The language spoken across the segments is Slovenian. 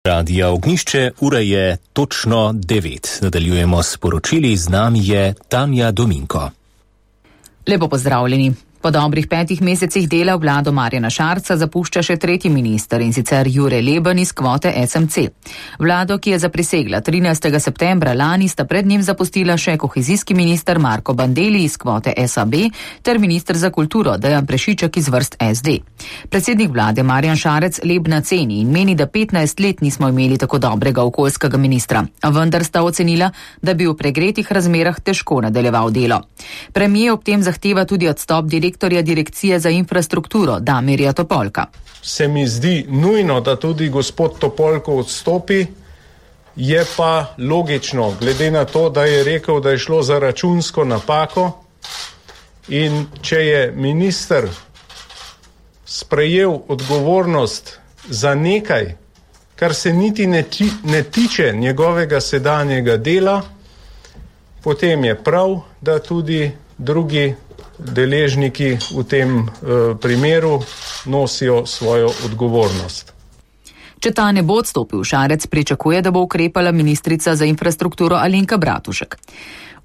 Radio Ognjišče, ura je točno 9. Nadaljujemo s poročili, z nami je Tanja Dominko. Lepo pozdravljeni. Po dobrih 5 mesecih dela vlado Marjana Šarca zapušča še tretji minister, in sicer Jure Leben iz kvote SMC. Vlado, ki je zaprisegla 13. septembra lani, sta pred njim zapustila še kohezijski minister Marko Bandelli iz kvote SAB ter minister za kulturo Dejan Prešiček iz vrst SD. Predsednik vlade Marjan Šarec Lebna ceni in meni, da 15 let nismo imeli tako dobrega okoljskega ministra, a vendar sta ocenila, da bi v pregretih razmerah težko nadaljeval delo. Premier ob tem zahteva tudi odstop direktorja Direkcije za infrastrukturo Damirja Topolka. Se mi zdi nujno, da tudi gospod Topolko odstopi, je pa logično, glede na to, da je rekel, da je šlo za računsko napako, in če je minister sprejel odgovornost za nekaj, kar se niti ne tiče njegovega sedanjega dela, potem je prav, da tudi drugi deležniki v tem primeru nosijo svojo odgovornost. Če ta ne bo odstopil, Šarec pričakuje, da bo ukrepala ministrica za infrastrukturo Alenka Bratušek.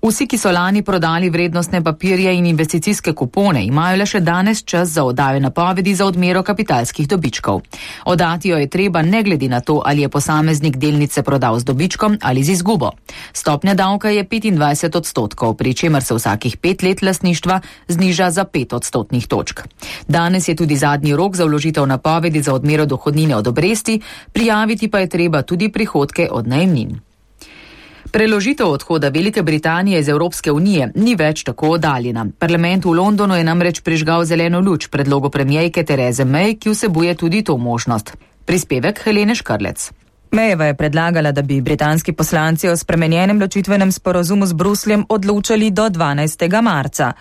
Vsi, ki so lani prodali vrednostne papirje in investicijske kupone, imajo le še danes čas za oddajo napovedi za odmero kapitalskih dobičkov. Oddati jo je treba ne glede na to, ali je posameznik delnice prodal z dobičkom ali z izgubo. Stopnja davka je 25%, pri čemer se vsakih 5 let lastništva zniža za 5 odstotnih točk. Danes je tudi zadnji rok za vložitev napovedi za odmero dohodnine od obresti, prijaviti pa je treba tudi prihodke od najemnin. Preložitev odhoda Velike Britanije iz Evropske unije ni več tako oddaljena. Parlament v Londonu je namreč prižgal zeleno luč predlogu premierke Therese May, ki vsebuje tudi to možnost. Prispevek Helene Škrlec. Mayeva je predlagala, da bi britanski poslanci o spremenjenem ločitvenem sporazumu z Brusljem odločali do 12. marca.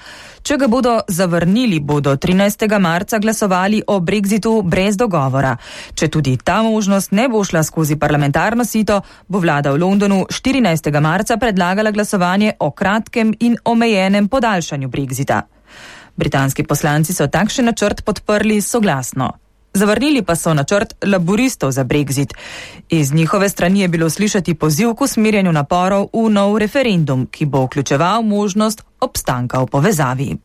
Če ga bodo zavrnili, bodo 13. marca glasovali o Brexitu brez dogovora. Če tudi ta možnost ne bo šla skozi parlamentarno sito, bo vlada v Londonu 14. marca predlagala glasovanje o kratkem in omejenem podaljšanju Brexita. Britanski poslanci so takšen načrt podprli soglasno. Zavrnili pa so načrt laboristov za Brexit. Iz njihove strani je bilo slišati poziv k usmerjanju naporov v nov referendum, ki bo vključeval možnost obstanka v povezavi.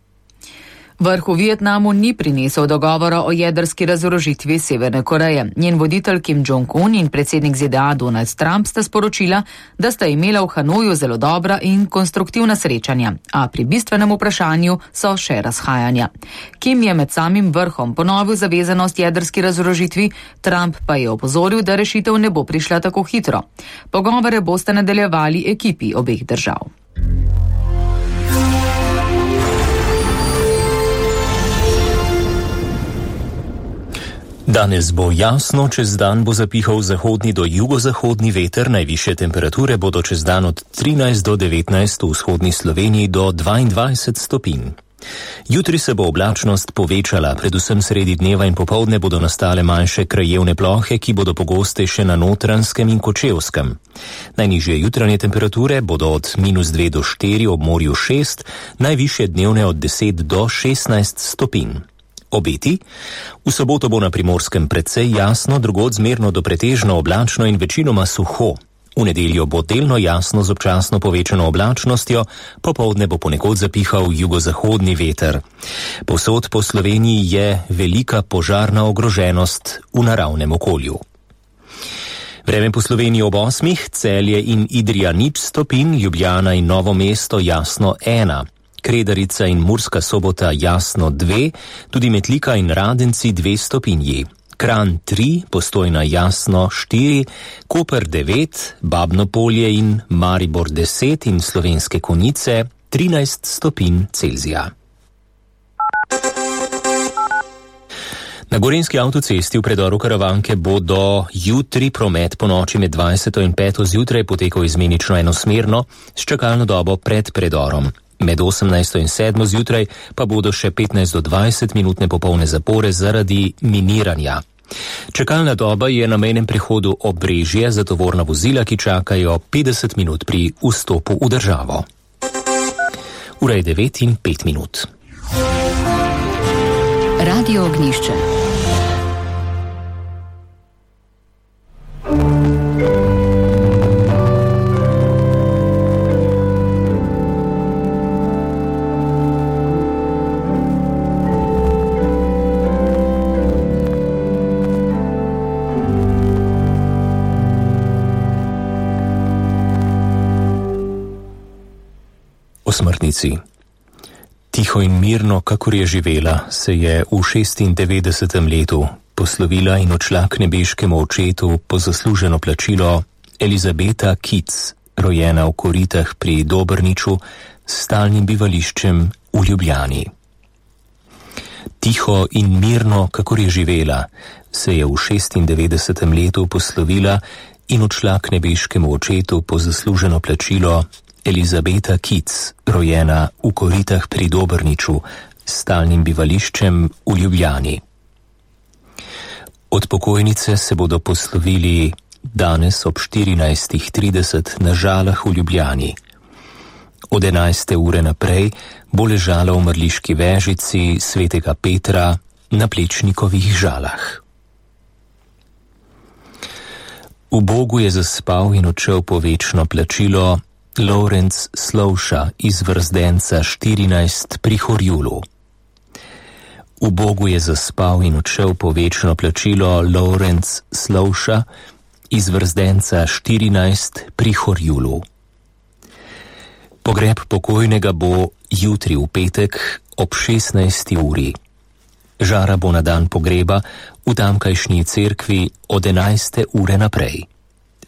Vrh v Vietnamu ni prinesel dogovora o jedrski razorožitvi Severne Koreje. Njen voditelj Kim Jong-un in predsednik ZDA Donald Trump sta sporočila, da sta imela v Hanoju zelo dobra in konstruktivna srečanja, a pri bistvenem vprašanju so še razhajanja. Kim je med samim vrhom ponovil zavezanost jedrski razorožitvi, Trump pa je opozoril, da rešitev ne bo prišla tako hitro. Pogovore boste nadaljevali ekipi obeh držav. Danes bo jasno, čez dan bo zapihal zahodni do jugozahodni veter, najvišje temperature bodo čez dan od 13 do 19, v vzhodni Sloveniji do 22 stopinj. Jutri se bo oblačnost povečala, predvsem sredi dneva in popoldne bodo nastale manjše krajevne plohe, ki bodo pogostejše na Notranjskem in Kočevskem. Najnižje jutranje temperature bodo od -2 do 4, ob morju 6, najvišje dnevne od 10 do 16 stopinj. Obeti? V soboto bo na Primorskem precej jasno, drugod zmerno do pretežno oblačno in večinoma suho. V nedeljo bo delno jasno z občasno povečano oblačnostjo, popoldne bo ponekod zapihal jugozahodni veter. Povsod po Sloveniji je velika požarna ogroženost v naravnem okolju. Vreme po Sloveniji ob 8, Celje in Idrija 0 stopinj, Ljubljana in Novo mesto jasno 1. Kredarica in Murska Sobota jasno 2, tudi Metlika in Radenci 2 stopinji. Kranj 3, Postojna jasno 4, Koper 9, Babno Polje in Maribor 10 in Slovenske Konjice 13 stopinj Celzija. Na Gorenjski avtocesti v predoru Karavanke bo do jutri promet po noči med 20 in 5 zjutraj potekal izmenično enosmerno s čakalno dobo pred predorom. Med 18 in 7 zjutraj pa bodo še 15 do 20 minutne popolne zapore zaradi miniranja. Čakalna doba je na mejnem prehodu Obrežje za tovorna vozila, ki čakajo 50 minut pri vstopu v državo. Ura je 9 in 5 minut. Radio Ognjišče. O smrtnici. Tiho in mirno, kakor je živela, se je v 96. letu poslovila in odšla k nebeškemu očetu po zasluženo plačilo Elizabeta Kitz, rojena v Koritah pri Dobrniču, s stalnim bivališčem v Ljubljani. Tiho in mirno, kakor je živela, se je v 96. letu poslovila in odšla k nebeškemu očetu po zasluženo plačilo Elizabeta Kitz, rojena v Koritah pri Dobrniču, s stalnim bivališčem v Ljubljani. Od pokojnice se bodo poslovili danes ob 14:30 na Žalah v Ljubljani. Od 11. ure naprej bo ležala v mrliški vežici svetega Petra na Plečnikovih Žalah. V Bogu je zaspal in odšel po večno plačilo Lorenc Slovša iz Vrzdenca 14 pri Horjulu. V Bogu je zaspal in odšel po večno plačilo Lorenc Slovša iz Vrzdenca 14 pri Horjulu. Pogreb pokojnega bo jutri v petek ob 16. uri. Žara bo na dan pogreba v tamkajšnji cerkvi od 11. ure naprej.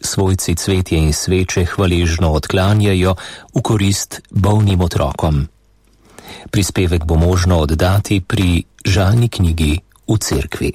Svojci cvetje in sveče hvaležno odklanjajo v korist bolnim otrokom. Prispevek bo možno oddati pri žalni knjigi v cerkvi.